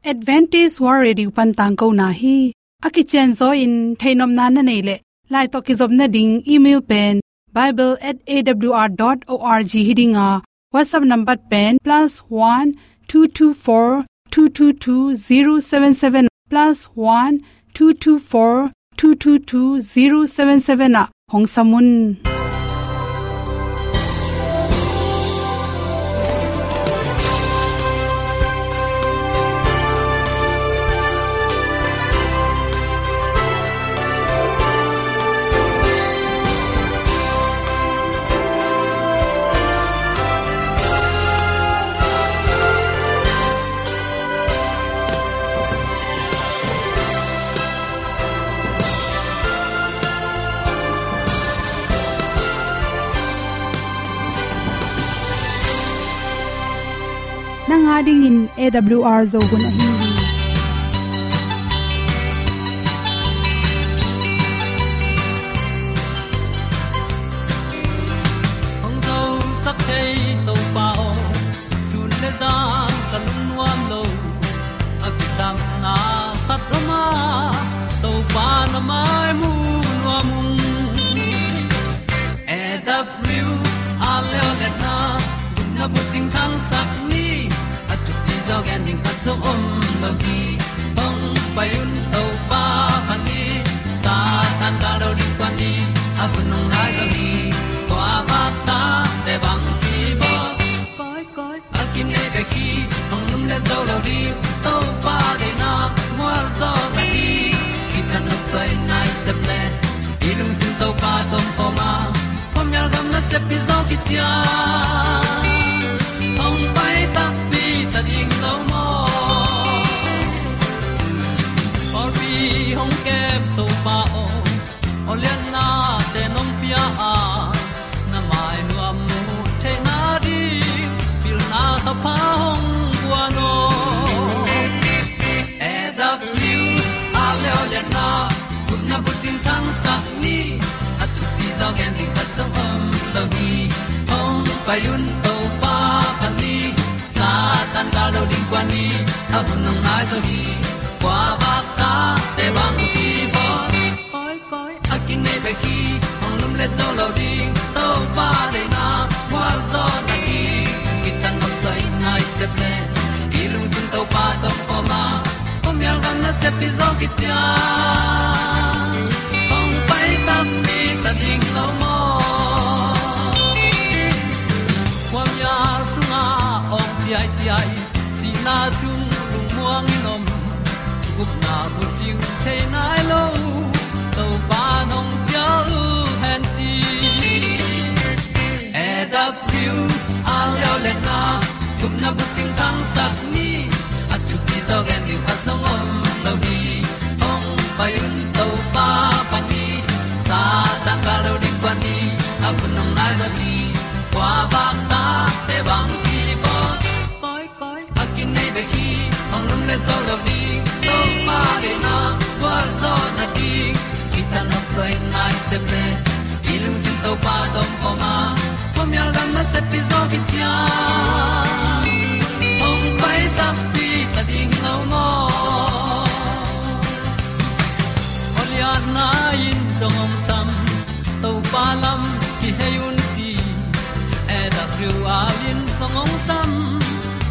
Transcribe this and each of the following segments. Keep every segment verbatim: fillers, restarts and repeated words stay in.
Adventist World Radio pan tangkona hi. A kicianzaw in theihnopna na neih leh, lai tawh kizopna ding email pen bible at A W R dot org hi ding a, WhatsApp number pen plus one two two four two two two zero seven seven, plus one two two four two two two zero seven seven ah hong sam un. Nang a dingin A W R Zo hun ahi hi. Hong zosak thei Topa aw, sun le zan ka lungnuam lo. A kisapna khat om a, Topa na mai mu nuam ung. A W R leo le na, gupna bucing thangsak ni, a thupi zaw gen ding khat zong om lo hi. Hong pai un Topa phat ni, Satan gal do ding kuan ni, a hun hong nai zaw hi. Kua vak ta te bang ki bawl. Koi, koi, a kinei bek hi, hong lum le zo lo ding, Topa deihna mual zaw ta hi. Kithat nop soi nai sep le, i lungsim Topa tom khawm a, khuamial gam nasep hi zaw kician. Hong pai takpi ta ding lo maw? Pawlpi hong kem Topa aw, awlianna te nong pia a, na mai nuam mu theihna ding, pilna thapha hong guan aw. A W R leo le na, gupna bucing thangsak ni, a thupi zaw gen ding khat zong om lo hi. Hong pai un Topa phat ni, Satan gal do ding kuan ni, a hun hong nai zaw hi. Kua vak ta te bang ki bawl. Koi, koi, a kinei bek hi, hong lum le zo lo ding, Topa deihna mual zaw ta hi. Kithat nop soi nai sep le, i lungsim Topa tom khawm a, khuamial gam nasep hi zaw kician. Hong pai takpi ta ding lo maw? Khuamial sungah awng ciaiciai, sihna sung lungmuang in om, gupna bucing thei nai lo, Topa nong cial hen ci. A W R leo le na, gupna bucing thangsak ni, a thupi zaw gen ding khat zong om lo hi. Hong pai un Topa phat ni, Satan gal do ding kuan ni, a hun hong nai zaw hi. Kua vak ta te bang ki bawl. Koi, koi, a kinei bek hi, hong lum le zo lo ding, Topa deihna gualzawhna ding. Kithat nop soi nai sep le, i lungsim Topa tom khawm a, khuamial gam nasep hi zaw kician. Hong pai takpi ta ding lo maw? Awlianna in zong hong sam, Topa lam kihei un ci. A W R in zong hong sam,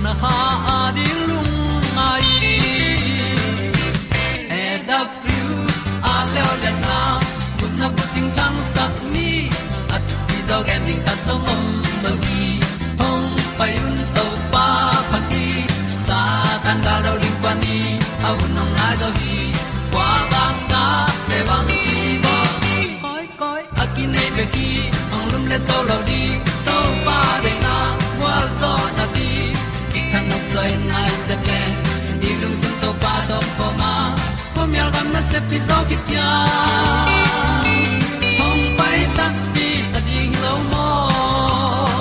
na kha a ding lungngai. A W R leo le na, gupna bucing thangsak ni, a thupi zaw gen ding khat zong om lo hi. Hong pai un Topa phat ni, Satan gal do ding kuan ni, a hun hong nai zaw hi. Kua vak ta te bang ki bawl. Koi, koi, a kinei bek hi, hong lum le zo lo ding, Topa deihna gualzawhna ding. Kithat nop soi nai sep le, i lungsim Topa tom khawm a, khuamial gam nasep hi zaw kician. Hong pai takpi ta ding lo maw?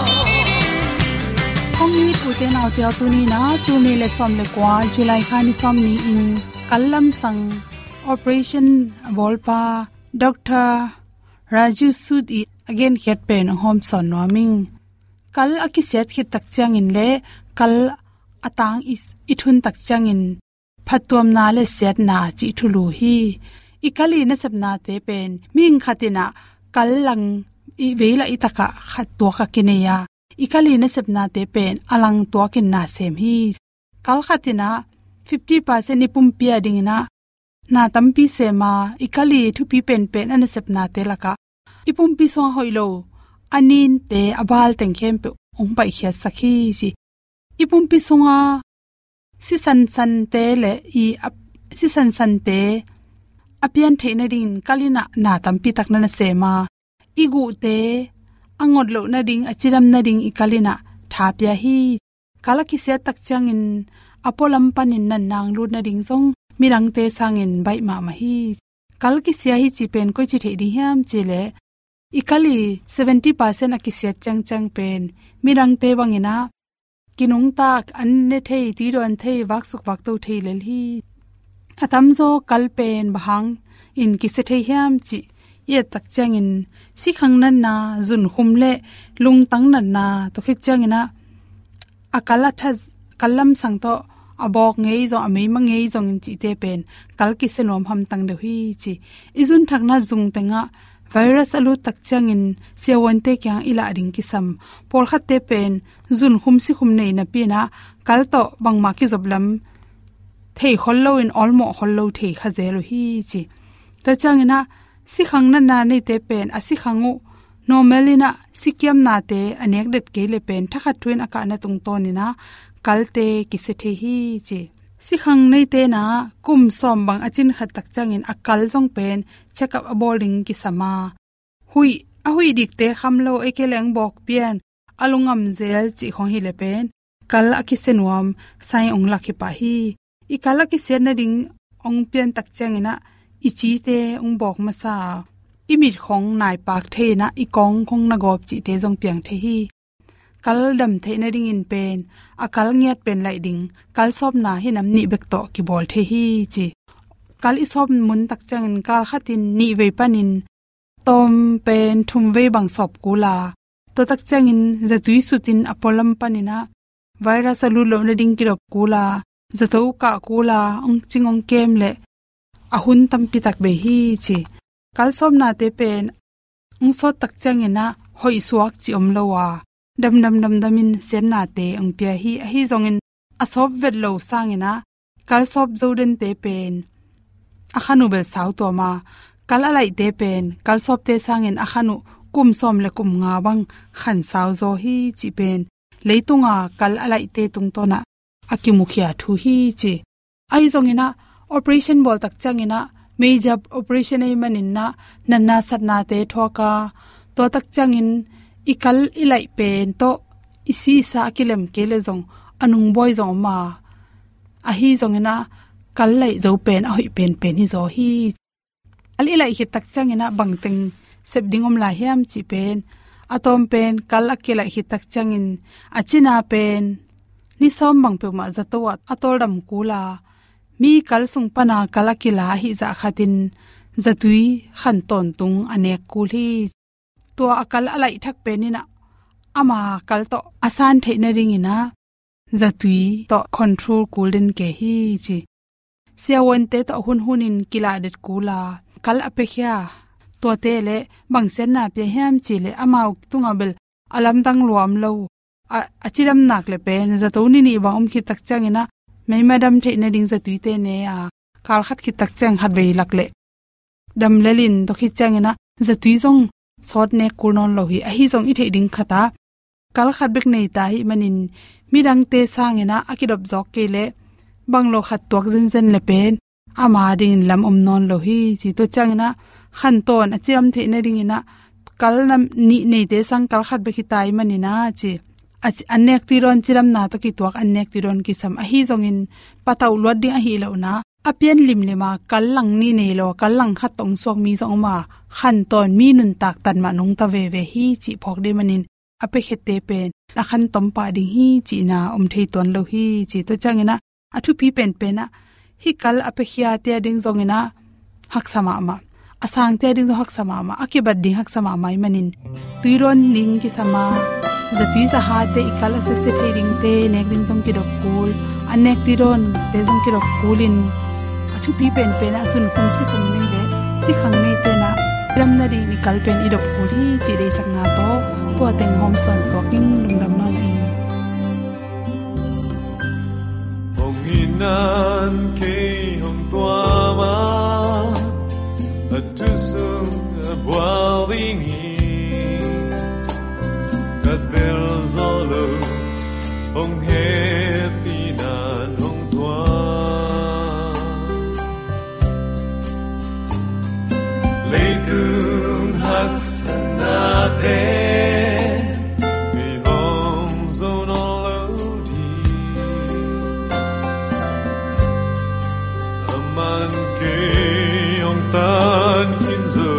Hong it ute naute aw, tuni in ah tul nih le sawm le kua, July kha ni sawm ni-in kal lamsang operation a bawlpa Doctor Raju Sood i a genkhiat pen hong hawmsawn nuam ing. Kal a kisiat khit tak ciangin le kal a tang i, i thun tak ciangin phattuamna le siatna cih thulu hi. I kal i nasepnate pen mihing khat in ah kal lang i vei lah i tak ah khat tuak a kinei a, i kal i nasepnate pen a lang tuak in na sem hi. Kal khat in ah fifty percent i pumpi a ding in ah na tampi sem a, i kal i thupi penpen a nasepnate lak ah i pumpi sungah hoih lo a ninte, a bal teng khempeuh hong paikhiatsak hi, ci. I pumpi sungah sisansante le i a, sisansante a pian theih nadingin kal in ah na tampi tak na na sem a, i guhte a ngot loh nading, a cidam nading i kal in ah tha pia hi. Kal a kisiat tak ciangin a pualam panin natna hong lut nading zong midangte sangin baih mahmah hi. Kal kisia hi cih pen koici theih ding hiam cih leh, i kal i seventy percent a kisiat ciangciang pen midangte bang in ah kinungtak, an ne thei, tuidawn thei, vaksuk vakto thei lel hi. A tamzaw kal pen bang hangin kisia thei hiam cih i et tak ciangin sikhang natna, zunkhum le lungtang natna, tua khit ciangin ah a kal a tha, kal lamsang tawh a bawk ngei zong, a meima ngei zongin cihte pen kal kisia nuam hamtang deuh hi, ci. I zunthakna zung tengah virus a lut tak ciangin siavuante kiang i lah ding kisam. Pawlkhatte pen zunkhum sikhum nei napi in ah kal tawh bangmah kizop lam thei khol loin awlmawh khol lo thei kha zel uh hi, ci. Tua ciangin ah sikhang natna neite pen a sikhang uh normal in ah sikiamnate a nek det kei le pen thakhat thu in a kahna tungtawn in ah kalte kisia thei hi, ci. Sikhang neite in ah kum sawm bang a cin khat tak ciangin a kal zong pen check up a bawl ding kisam a, huih, a huih dikte kham lo, ei kei leng bawk pian, a lungam zel cih khawng hi le pen kal a kisia nuam sign hong lak hi pah hi. I kal a kisiat nading hong pian tak ciangin ah i cite hong bawk masa a, i mit khawng naipak thei in ah i kawng khawng na gawp cihte zong piang thei hi. Kal dam theih nadingin pen a kal ngiat pen laih ding kal sawpna hi nam nih bek tawh kibawl thei hi, ci. Kal i sawp mun tak ciangin kal khat in nih vei panin tawm pen thum vei bang sawp kul a, tua tak ciangin zatui sut in a pualam panin ah virus a lut loh nading kidop kul a, zato kah kul a, hong cing hong kem le a hun tampi tak bei hi, ci. Kal sawpnate pen hong sawt tak ciangin ah hoih suak cih om lo a, damdam damdam in siatnate hong pia hi. Ahi zongin a sawp vet lo sangin ah kal sawp zo dente pen a khan uh bel sau tuam a, kal a laihte pen kal sawpte sangin a khan uh kum sawm le kum nga bang khan sau zaw hi, cih pen leitunga kal a laihte tungtawn ah a kimukhia thu hi, ci. Ahi zongin ah operation bawl tak ciangin ah major operation ahih manin ah natna satnate thuak a, tua tak ciangin i kal i laih pen tawh i si i sa a kilem kei le zong a nungbawi zong om a, ahi zongin ah kal laih zo pen a hoih penpen hi zaw hi. Kal i laih khit tak ciangin ah bangteng sep ding om lai hiam cih pen, a tawm pen kal a kilaih khit tak ciangin a cina pen ni sawm bang peuhmah zato ah a tawldam kul a, mi kal sung pana kal a kila ahih zah khatin zatui khan tawntung a nek kul hi. Tua a kal a laih thak pen in ah ama kal tawh a san theih nadingin ah zatui tawh control kul den kei hi, ci. Siavuante tawh hunhun in kilah det kul a, kal a piakhia tuate le bang siatna pia hiam cih leh amau tungah bel a lamdang lua om lo. A, a cidam nak le pen zato ni nih bang om khit tak ciangin ah meima dam theih nading zatuite ne a, kal khat khit tak ciang khat vei lak le dam lel in tua khit ciangin ah zatui zong sawt nek kul nawn lo hi. Ahi zong i theih ding khat ah kal khat bek nei ta ahih manin midangte sangin ah a kidop zawk kei leh bang lo khat tuak zenzen le pen ama dingin lam om nawn lo hi, ci. Tua ciangin ah khan tawn a cidam theih nadingin ah kal nam nih neite sang kal khat bek hi ta ahih manin ah, ci. A ci-, an nek tui dawn cidamna tawh kituak an nek tui dawn kisam. Ahi zongin patauh luat ding ahih lohna a pian limlim a kal lang nih nei lo, kal lang khat tawh hong suak mi zong om a, khan tawn mi nuntak tan mah nungta veve hi, cih phawk ding manin a piakhiate pen a khan tom pah ding hi cihna om thei tuan lo hi, ci. Tua ciangin ah a thupi penpen ah hih kal a piakhiate a ding zongin ah haksa mahmah, a sangte a ding zong haksa mahmah, a kibat ding haksa mahmah ahih manin tui dawn ding kisam a, zatui zahate i kal a susia thei dingte nek ding zong kidop kul. Anecdote te zong kidop kulin, a thupi penpen ah sun kum si kum nei le sikhang nei tenah lam nading i kal pen i dop kul hi cih deihsakna tawh tua teng hawm sawn suak in lungdam nawn la ing. Hong in nan kei hong tuam a, a thu sung a bual ding hi. Ka tel zo lo, hong hehpih nan hong tuam. Leitung haksatnate i hong zo nawn lo ding. Aman kei hong tan khin zo.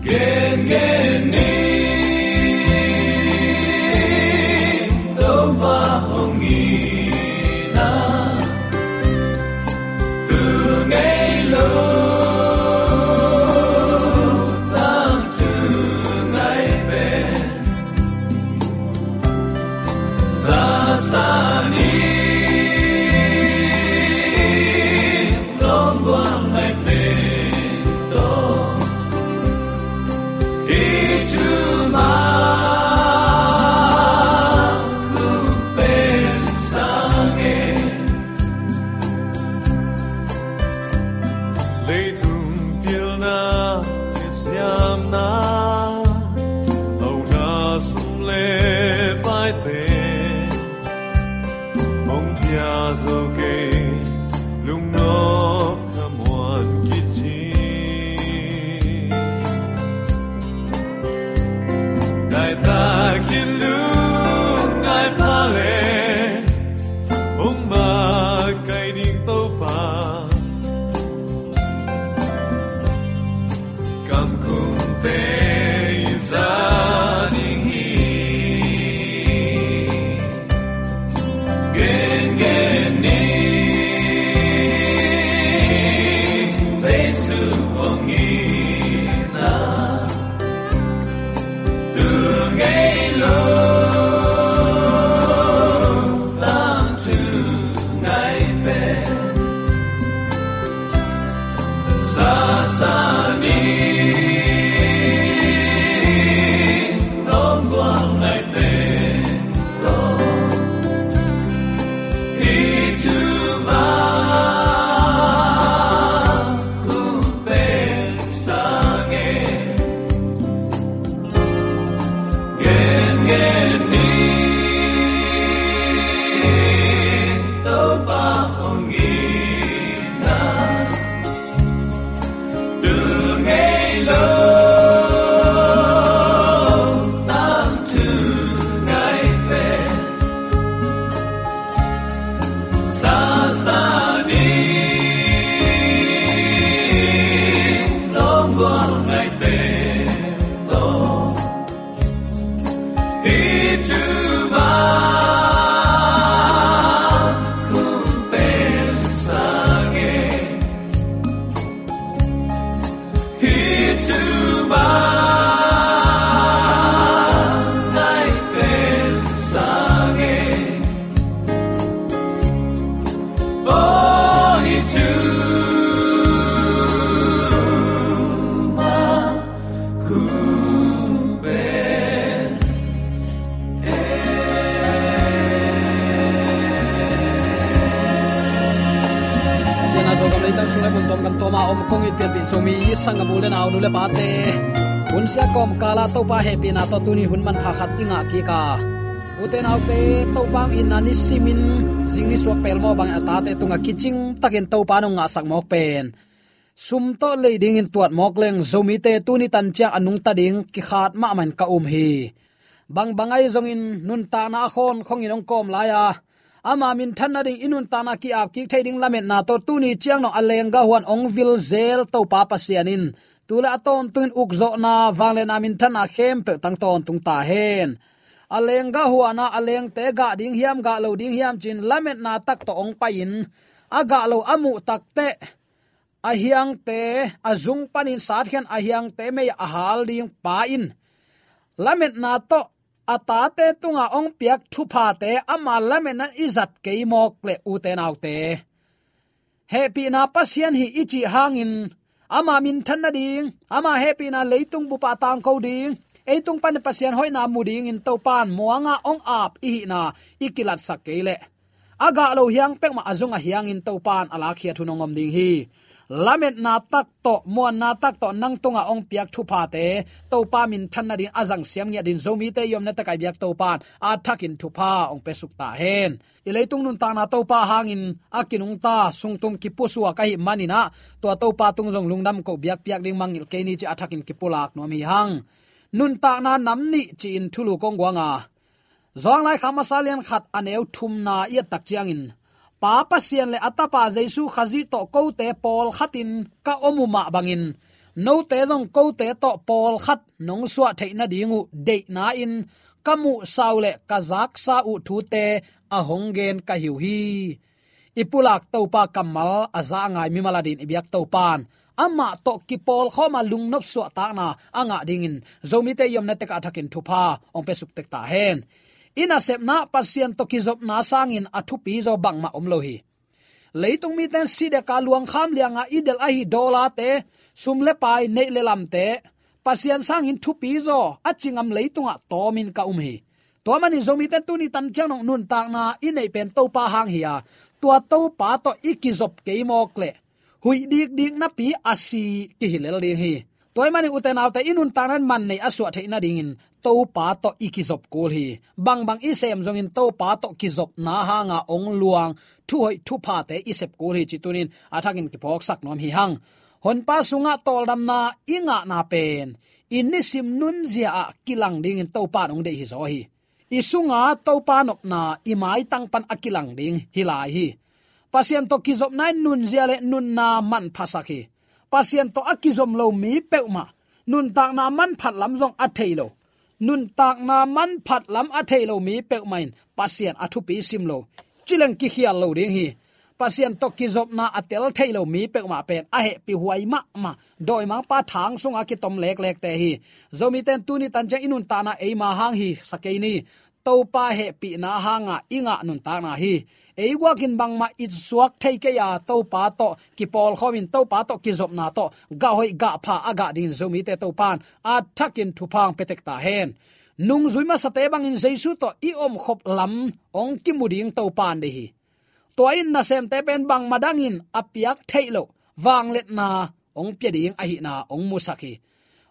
Gen gen ni, Topa hong in a, tu ngei lo, tangthu ngai pen. Sasa ni, lawm gual ngai pen tawh. Hi thu ma kum pen sang e. Leitung pilna le siamna, a uk na sum le paite hong pia zo kei, lungnop khamuan kicing. Daitakin lungngai pha le, hong makaih ding Topa. Kamkhumte i za ding hi. Gen gen ni, Jesu hong in a, tu ngei lo, tangthu ngai pen. Sasa ni, lawm gual ngai pen tawh. Hi thu ma kum pen sang e. Gen gen ni, Topa hong in a, tu ngei lo, tangthu ngai pen. Sasa ni, lawm gual ngai pen tawh. Hi thu ma kum pen sang e. Hi thu ma ngai pen sang e. Oh, hi thu ma kum pen. Pian a Zogam leitang sung le mun tuam kan tuam a om kong it pianpih Zomi sanggam u le nau, nu le pate, hun sia kawmkal a Topa hehpihna tawh tuni hun manpha khat i ngah kik a, ute naute, Topa hong in a ni simin zing ni suak pelmawh bangin a tate tungah kicing takin Topa nong ngahsak mawk pen sum tawh lei dingin tuat mawk leng, Zomite tuni tan ciang a nungta ding kikhat mahmah in ka um hi. Bangbang ahi zongin nuntakna a khawnkhong in hong kawm lai-a, ama minthan nading i nuntakna ki-ap kik thei ding lametna tawh tuni ciang dong a lenggah huan hong vil zel Topa Pasian in tu le a tawntungin ukzawhna, vangliatna, minthanna khempeuh tang tawntung ta hen. A lenggah huan a, a lengte gah ding hiam, gah lo ding hiam ci-in lametna tak tawh hong pai-in, a gah lo a muh takteh a hiangte a zung panin satkhian a hiangte mei a hal ding pa in lametna tawh a tate tungah hong piak thuphate ama lametna i zat kei mawk leh, ute naute, hehpihna Pasian hi i cih hangin ama minthan nading, ama hehpihna leitung bupah tangko ding, ei tung panin Pasian hoihna mu dingin Topan muanga hong ap i hihna i kilatsak kei leh, a gah lo hiang peuhmah a zung a hiangin Topan a lakkhiat hun hong om ding hi. Lametna tak tawh, muanna tak tawh nang tungah hong piak thuphate Topa minthan nading a zang siam ngiat dingin Zomite i omna tekah i biak Topan a thakin thupha hong pia suk ta hen. I leitung nuntakna Topa hangin a kinungta, sungtum kipusuak ahih manin ah, tua Topa tung zong lungdam koh biakpiak ding mangngilh kei ni ci a thakin kipulak nuam hi hang. Nuntakna nam nih ci-in thulu kong guang a, Johan laikhak masa lian khat a neu thumna i et tak ciangin, Pa Pasian le a Tapa Jesu Khazih tawh kote pawlkhatin ka om uh mah bangin, note zong kote tawh pawlkhat nong suah theih nading uh deihna in ka muhsa uh le ka zaksa uh thute a hong gen ka hi uh hi. I pulak Topa kammal a za a ngai mimal adingin i biak Topan amah tawh kipawlkhawm a lungnop suahtakna a ngah dingin Zomite i omna tekah a thakin thupha hong pia suk tek ta hen. I nasepna Pasian tawh kizopna sangin a thupi zaw bangmah om lo hi. Leitung mite in sih deka luangkham lianga i delh ahi dollar-te, sum le pai, neih le lamte, Pasian sangin thupi zaw a ci ngam leitungah tawmin ka um hi. Tua manin Zomite in tuni tan ciang dong nuntakna i neih pen Topa hang hi a, tua Topa tawh i kizop kei mawk leh, huih dikdik napi a si kihi lel ding hi. Tua ahih manin ute naute, i nuntakna in man nei a suah theih nadingin Topa tawh i kizop kul hi. Bangbang i sem zongin Topa tawh kizopna hanga hong luang thuhoih thuphate i sep kul hi ci tunin a thakin kiphawksak nuam hi hang. Honpa sungah tawldamna i ngahna pen i nisim nunzia ah kilang dingin Topa in hong deih hi zaw hi. I sunga Topa nopna i maitang pan a kilang ding hi lai hi. Pasian tawh kizopna in nunzia le nunna manphasak hi. Pasian tawh a kizom lo mi peuhmah nuntakna manphat lam zong a thei lo. Nuntakna manphat lam a thei lo mi peuhmah in Pasian a thupi sim lo, ci leng kikhial lo ding hi. Pasian tawh kizopna a tel thei lo mi peuhmah pen a hehpihhuai mahmah dawimangpa thang sunga kitom leklekte hi. Zomite in tuni tan ciang i nuntakna eima hang hi sa kei ni. Topa hehpihna hanga i ngah nuntakna hi. Ei guakin bangmah i suak thei kei a, Topa tawh kipawlkhawmin Topa tawh kizopna tawh gah hoih gah pha a gah dingin Zomite Topan a thakin thupha hong pia tek ta hen. Nungzui masate bangin Jesu tawh i omkhop lam hong kimu ding Topan deih hi. Tua in nasemte pen bangmah dangin a piak theih loh vangliatna hong pia ding ahihna hong musak hi.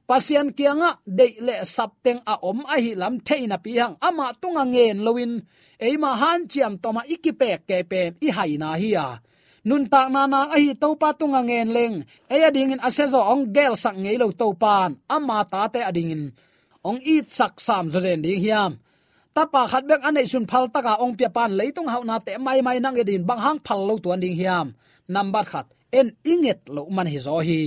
Pasian kiangah deih le sapteng a om ahih lam thei napi hang amah tungah ngen loin eima hanciam tawmah i kipek kei pen i haina hi a, nuntakna nak ahi Topa tungah ngen leng ei adingin a siazaw hong gelsak ngei lo Topan ama tate adingin hong itsak sam zawzen ding hiam? Tapa khat bek a neihsun phaltaka hong piapan leitung hauhnate maimai nang i dingin bang hang phal lo tuan ding hiam? Nambat khat, en i nget loh man hi zaw hi.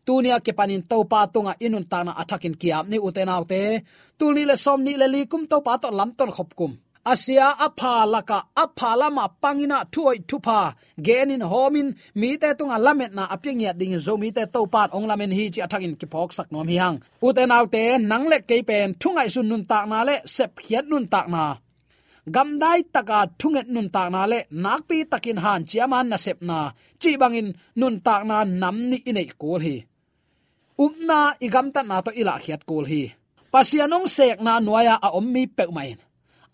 Tunia kipanin Topa tungah i nuntakna a thakin ki-ap ni ute naute. Tul nih le sawm nih le li kum Topa tawh lamton khop kum. A sia a pha lakah a pha lamah panginah thuhoih thupha genin hawmin mite tungah lametna a pia ngiat dingin Zomite Topan hong lamen hi ci a thakin kiphawksak nuam hi hang. Ute naute, nang le kei pen thungaihsun nuntakna le sepkhiat nuntakna, gamdai taka thunget nuntakna le nakpi takin hanciama nasepna cih bangin nuntakna nam nih i neih kul hi. Upna i gamtatna tawh i lahkhiat kul hi. Pasian hong sekna nuai-a a om mi peuhmah in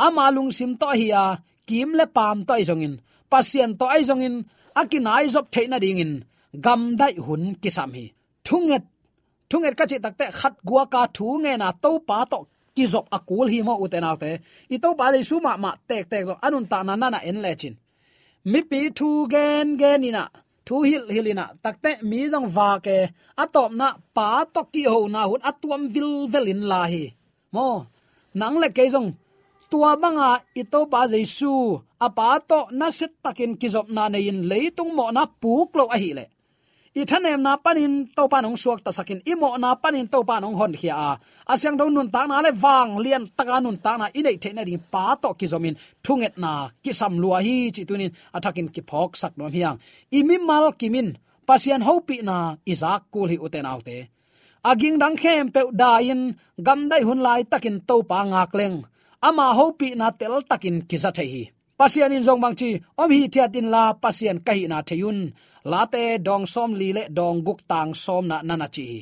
ama lungsim tawh ahi a, kim le paam tawh ahi zongin, Pasian tawh ahi zongin a kinaizop theih nadingin gamdaih hun kisam hi. Thunget, thunget ka cih takteh khat guaka thu ngena Topa tawh kizop a kul hi maw ute naute. I Topa Jesu mahmah tektek zong a nuntakna nana en lecin, mipi thu gengen inah, thu hilhhilh inah takteh mi zong vak e, a tawpna Pa tawh kihona hun a tuam vilvel in la hi. Maw, nang le kei zong tua banga i Topa Jesu a Pa tawh nasiatakin kizopna nei-in leitung mawhna puk loh ahileh, i thanemna panin Topa in hong suaktasakin, i mawhna panin Topa in hong honkhia a, a siangtho nuntakna le vanglian taka nuntakna i neih theih nading Pa tawh kizomin thungetna kisam lua hi cih tunin a thakin kiphawksak nuam hi hang. I mimal kimin Pasian hopihna i zak kul hi ute naute. A gingdang khempeuh dai-in gamdaih hun laitakin Topa ngak leng, ama hopihna teltakin kiza thei hi. Pasian in zong bangci, om hithiat inla Pasian ka hihna thei un. Late dawng sawmli le dawng guk tang sawmna na na ci hi.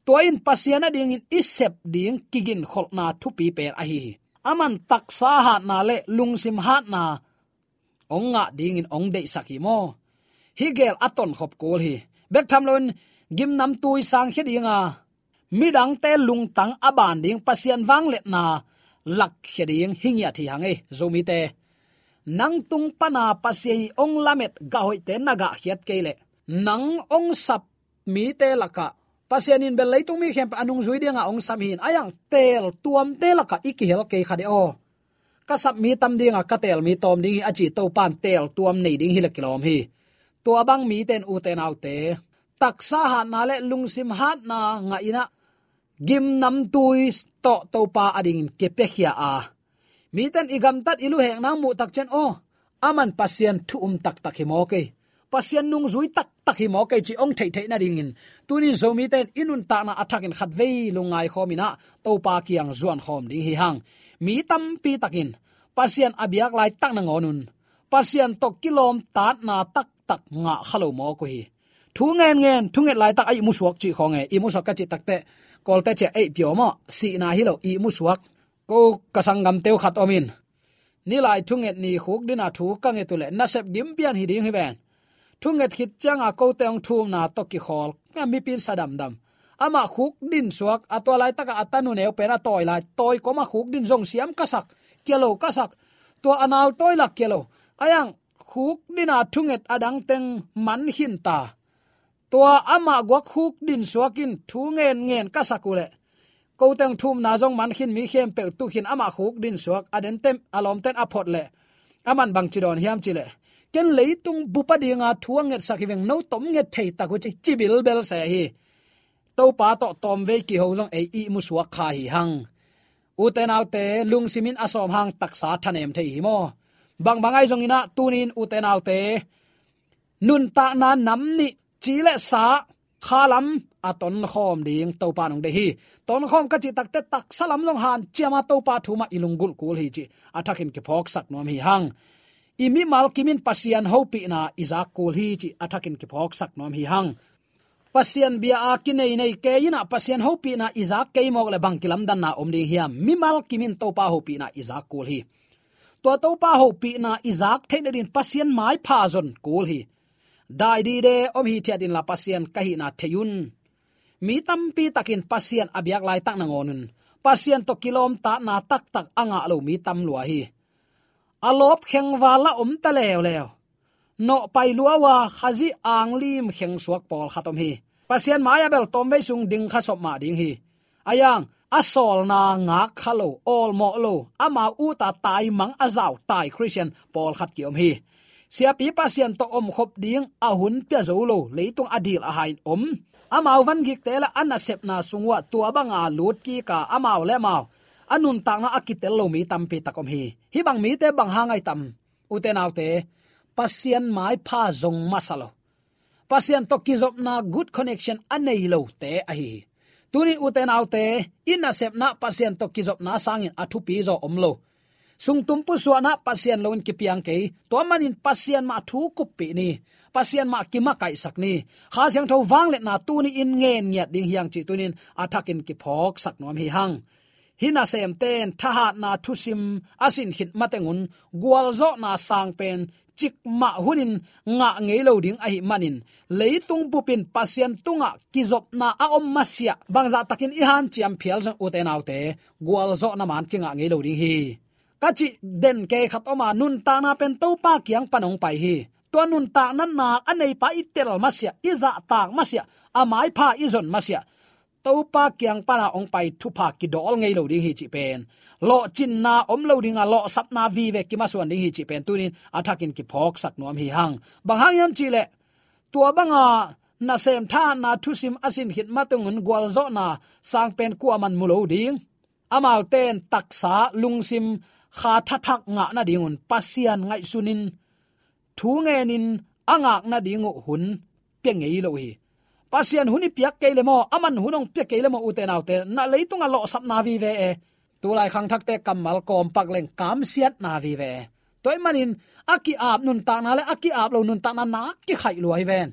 Tua in Pasian adingin i sep ding kiginkholhna thupi pen ahi hi. Aman taksa hatna le lungsim hatna hong ngah dingin hong deihsak hi maw? Hih gel a tonkhop kul hi. Bek tham loin gimnamtui sangkhia dinga midangte lungtang a ban ding Pasian vangliatna lakkhia ding hi ngiat hi hang ei, Zomite. Nang tung pana Pasian i hong lamet gah hoihte na gahkhiat kei leh, nang hong sap mite lakah Pasian in bel leitung mi khempeuh a nungzui dinga hong sam hi in, a iang teel tuamte lakah i kihel kei kha de aw. Ka sap mi tam dinga ka teel mi tawm ding hi a ci Topan teel tuam nei ding hi le kilawm hi. Tua bang mite in, ute naute, taksa hatna le lungsim hatna ngah in ah gimnamtui tawh Topa adingin kipiakhia a, mite in i gamtat i luhekna hong muh tak ciang, aw, aman Pasian thu um taktak hi maw kei, Pasian nungzui taktak hi maw kei cih hong theihtheih nadingin, tuni Zomite in i nuntakna a thakin khatvei lungngai khawm in ah Topa kiang zuan khawm ding hi hang. Mi tampi takin Pasian a biak laitak nangawn un Pasian tawh kilawmtatna taktak ngah kha lo mawk uh hi. Thu ngenngen, thunget laitak a ihmusuak cih khawng e, ihmusuak ka cih takteh Kawlte ciah eih piawmawh, sihna hi lo, ihmusuak. Ko ka sanggamte uh khat om in, nilai thunget ni khukdina thu ka nget uh leh nasep gimpian hi ding hi ven. Thunget khit cianga kote hong thumna tawh kikhawl, a mipi in sa damdam. Amah khukdin suak, a tua laitaka a tanu neu pen a tawi lai, tawi kawma khukdin zong siam ka sak, kia lo ka sak. Tua a nau tawi lak kia lo. A iang khukdina thunget a dang teng man khin ta. Tua amah guak khukdin suakin thu ngenngen ka sak uh leh, kote hong thumna zong man khin, mi khempeuh tu khin, amah khukdin suak, a dente, a lawmte in a phot leh, aman bangci dawn hiam cih leh, ken leitung bup a dinga thu a ngetsak hi veng, no tom nget thei tak uh ci, ci bilbel se hi. Topa tawh tawmvei kiho zong ei ihmusuak kha hi hang. Ute naute, lungsim in a sawm hang taksa thanem thei hi maw? Bangbang ahi zongin ah tuni in, ute naute, nuntakna nam nih, ci le sa, kha lam a tonkhawm ding Topa in hong deih hi. Tonkhawm ka cih takteh taksa lam zong hanciama Topa thu mah i lunggulh kul hi cih a thakin kiphawksak nuam hi hang. I mimal kimin Pasian hopihna i zak kul hi cih a thakin kiphawksak nuam hi hang. Pasian bia a kineinei kei in ah Pasian hopihna i zak kei mawk leh bang kilamdanna om ding hiam? Mimal kimin Topa hopihna i zak kul hi. Tua Topa hopihna i zak theih nadingin Pasian maipha zon kul hi. Dai dide om hithiat inla Pasian ka hihna thei un. Mi tampi takin Pasian a biak laitak nangawn un Pasian tawh kilawmtatna taktak a ngah lo mi tam lua hi. A lawp khengval a om ta leuleu. Nawhpai lua uh a Khazih anglim khengsuak pawlkhat om hi. Pasian mai-ah bel tawmvei sung ding kha sop mah ding hi. A iang a sawlna ngak kha lo, awlmawh lo, amau uta taimang a zau tai Khristian pawlkhat kiom hi. Siapi Pasian tawh omkhop ding a hun pia zo lo, leitung a dil a hai in om. Amau vangikte le a nasepna sung uh ah tua banga lut kik a, amau le amau a nuntakna a kitel lo mi tampi tak om hi. Hih bang mite bang hang ahi tam? Ute naute, Pasian maipha zong masa lo, Pasian tawh kizopna good connection a nei lote ahi hi. Tuni ute naute, i nasepna Pasian tawh kizopna sangin a thupi zaw om lo. Sungtum pusuahna Pasian loin kipiang kei, tua manin Pasian mah thu kuppih ni, Pasian mah kimakaihsak ni. Kha Siangtho vangliatna tuni in ngen ngiat ding hi hang cih tuni in a thakin kiphawksak nuam hi hang. Hih nasemte in thahatna thusim a sin khit mateng un gualzawhna sang pen cikmah hunin ngah ngei lo ding ahih manin, leitung bupin Pasian tungah kizopna a om masiah bangzah takin i hanciam phial zong, ute naute, gualzawhna man kingah ngei lo ding hi. Ka cih den kei khat om a, nuntakna pen Topa kiang pan hong pai hi. Tua nuntakna na a neipa i tel masiah, i zahtak masiah, a maipha i zon masiah, Topa kiang pana hong pai thupha kidawl ngei lo ding hi cih pen, lawhcinna om lo ding a, lawhsapna vive kimasuan ding hi cih pen tuni in a thakin kiphawksak nuam hi hang. Bang hang hiam cih leh, tua banga nasem thahatna thusim a sin khit mateng un gualzawhna sang pen kuaman mu lo ding. Amaute in taksa, lungsim, kha thathak ngah nadingun Pasian ngaihsunin, thu ngenin a ngak nading uh hun pia ngei lo hi. Pasian hun i piak kei le maw, aman hun hong pia kei le maw, ute naute, na leitungah lawhsapna vive e. Tulai khangthakte kammal kawmpak leng kamsiatna vive. Tua ahih manin a ki-ap nuntakna le a ki-ap lo nuntakna nak kikhaih lua hi ven.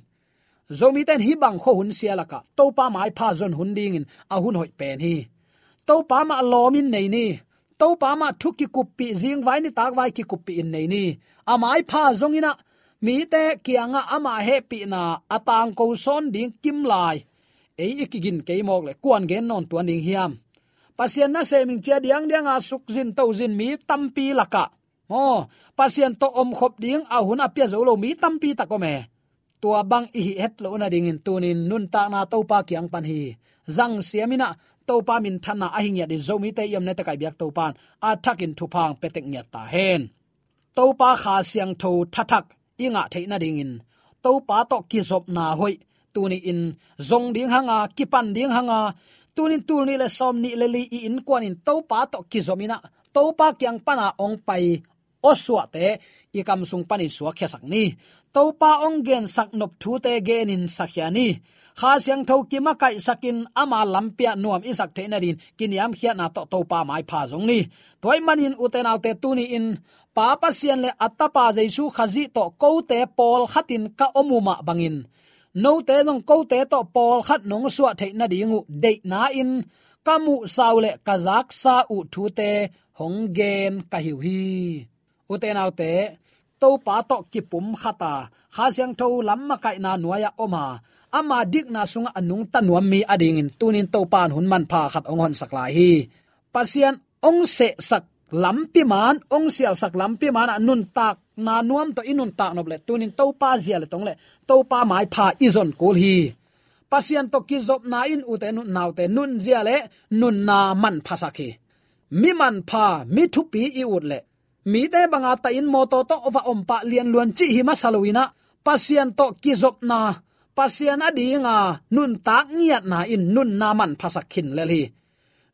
Zomite in hih bang khua hun sia lakah Topa maipha zon hun dingin a hun hoih pen hi. Topa mah lawmin nei ni. Topa mah thu kikuppih, zingvai nitakvai kikuppih in nei ni. A maipha zongin ah mite kiangah amah hehpihna a tangko sawn ding kimlai ei i kigin kei mawk leh kuan gen nawn tuan ding hiam? Pasian nasem in cia diangdianga sukzin tozin mi tampi lakah, aw, Pasian tawh omkhop ding a hun a pia zo lo mi tampi tak om e. Tua bang i hih het loh nadingin tunin nuntakna Topa kiang pan hi. Zang siamin ah Topa minthanna a hi ngiat in Zomite i omna teh kai biak Topa in a thakin thupha hong pia tek ngiat ta hen. Topa Kha Siangtho thathak i ngah theih nadingin Topa tawh kizopna hoih tuni-in zong ding hanga, kipan ding hanga, tunin tul nih le sawm nih le li i innkuan in Topa tawh kizopin ah Topa kiang pana hong pai awsuahte i kam sung panin suakkhiasak ni. Topa hong gensak nop thute genin sakhia ni. Kha Siangtho kimakaihsakin ama lampi-ah nuam i sak theih nadin kiniamkhiatna tawh Topa maipha zong ni. Tua ahih manin ute naute, tuni-in Pa Pasian le a Tapa Jesu Khazih tawh kote pawlkhatin ka om uh mah bangin note zong kote tawh pawlkhat nong suah theih nading uh deihna-in ka muhsa uh le ka zaksa uh thute hong gen ka hi uh hi. Ute naute, Topa tawh kipumkhat a, Kha Siangtho lam makaihna nuai-ah om a, ama dikna sungah a nungta nuam mi adingin tunin Topa in hun manpha khat hong honsak lai hi. Pasian hong sehsak lampi man, hong sialsak lampi man ah nuntakna nuam tawh i nuntak nop leh tunin Topa zia le tong le Topa maipha i zon kul hi. Pasian tawh kizopna in ute naute nunzia le nunna manphasak hi. Mi manpha, mi thupi i ut leh mite banga tahin mawtaw tawh va om pah lianluan cih hi masa loin ah Pasian tawh kizopna, Pasian adinga nuntak ngiatna in nunna manphasak khin lel hi.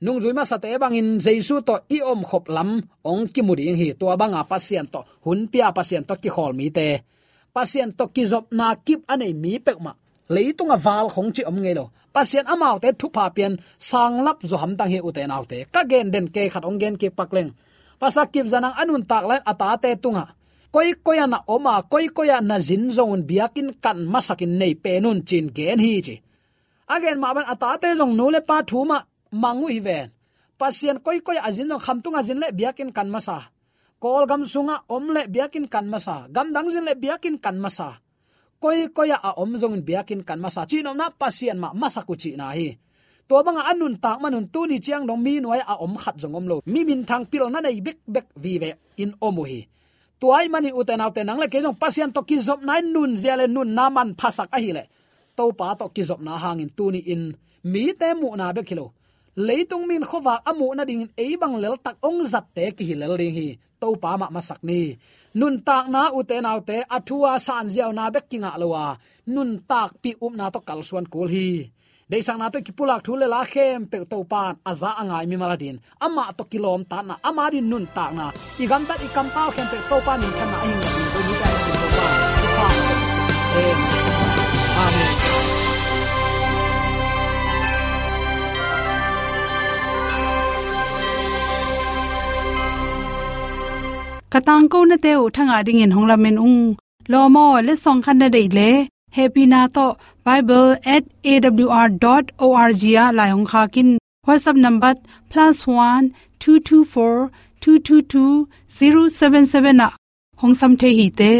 Nungzui masate bangin Jesu tawh i omkhop lam hong kimu ding hi. Tua banga Pasian tawh hun pia, Pasian tawh kikhawl mite, Pasian tawh kizopna kip a nei mi peuhmah leitunga val khong cih om ngei lo. Pasian amaute thupha pian sanglap zaw hamtang hi ute naute. Ka gen den kei khat hong gen kik pak leng. Pasal Kip Za Nang a nuntak lai-in a tate tungah koikoi ah na om a, koikoi ah na zin zong un biakinn kan masakin nei pen un ci-in gen hi ci. A gen mah bang a tate zong nu le pa thu mah mang uh hi ven. Pasian koikoi ah a zin zong Khamtung a zin leh biakinn kan masa, Kawlgam sungah om leh biakinn kan masa, gamdang zin leh biakinn kan masa, koikoi ah a om zongin biakinn kan masa, cihnopna Pasian mah masak uh cihna hi. Tua banga a nuntak man un tuni ciang dong mi nuai-ah a om khat zong om lo, mi minthang pilna nei bekbek vive in om uh hi. Tua ahih manin ute naute, nang le kei zong Pasian tawh kizopna in nunzia le nunna manphasak ahih leh Topa tawh kizopna hangin tuni-in mite muhna bek hi lo, leitung mi in khuavak a muh nadingin ei bang leltak hong zatte kihi lel ding hi. Topa mah masak ni. Nuntakna ute naute, a thu a sanziauna bek kingah lo a, nuntakpih upna tawh kalsuan kul hi. Deihsakna tawh kipulak thu le la khempeuh Topa in a za a ngai mimal adin amah tawh kilawmtatna, ama din nuntakna, i gamtat i kampau khempeuh Topa minthanna a hi ngiat dingin Zomi Tedim Topa in thupha. Amen. Amen. Ka tangkonate uh thangah dingin hong lamen ung. Lawm aw, letsong khat na deih leh hehpihna tawh bible at A W R dot O R G ah lai hong khak in. WhatsApp number plus one two two four two two two zero seven seven ah hong sam thei hi te.